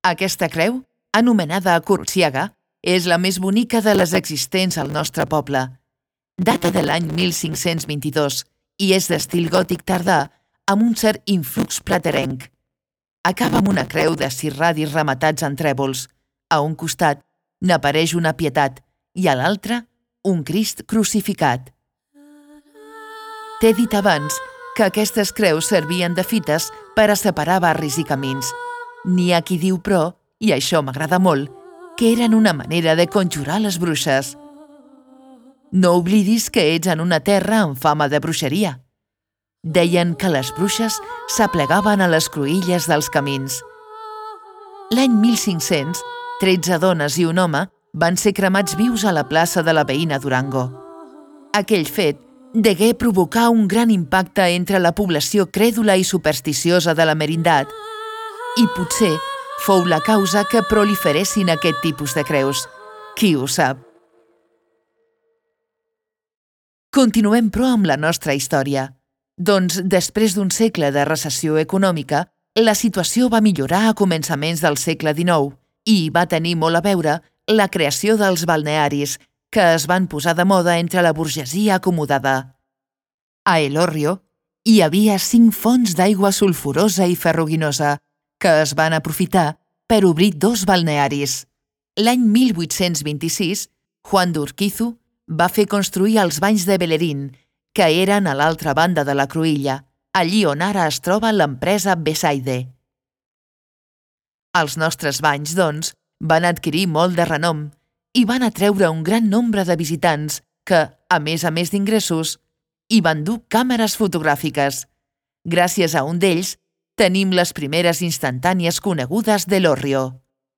Aquesta creu, anomenada Corsiaga, és la més bonica de les existents al nostre poble. Data de l'any 1522 i és d'estil gòtic tardà amb un cert influx platerenc. Acaba amb una creu de 6 radis rematats en trèvols. A un costat n'apareix una Pietat i a l'altre un Crist crucificat. T'he dit abans que aquestes creus servien de fites per a separar barris i camins. N'hi ha qui diu, però, i això m'agrada molt, que eren una manera de conjurar les bruixes. No oblidis que ets en una terra amb fama de bruixeria. Deien que les bruixes s'aplegaven a les cruïlles dels camins. L'any 1500, 13 dones i un home van ser cremats vius a la plaça de la veïna Durango. Aquell fet degué provocar un gran impacte entre la població crèdula i supersticiosa de la Merindad i potser fou la causa que proliferessin aquest tipus de creus. Qui ho sap? Continuem, però, amb la nostra història. Doncs, després d'un segle de recessió econòmica, la situació va millorar a començaments del segle XIX i va tenir molt a veure la creació dels balnearis, que es van posar de moda entre la burgesia acomodada. A El Hórrio hi havia 5 fonts d'aigua sulfurosa i ferruginosa, que es van aprofitar per obrir 2 balnearis. L'any 1826, Juan d'Urquizu va fer construir els banys de Bellerín, que eren a l'altra banda de la cruïlla, allí on ara es troba l'empresa Besaide. Els nostres banys, doncs, van adquirir molt de renom i van atreure un gran nombre de visitants que, a més d'ingressos, hi van dur càmeres fotogràfiques. Gràcies a un d'ells, tenim les primeres instantànies conegudes d'El Hórrio.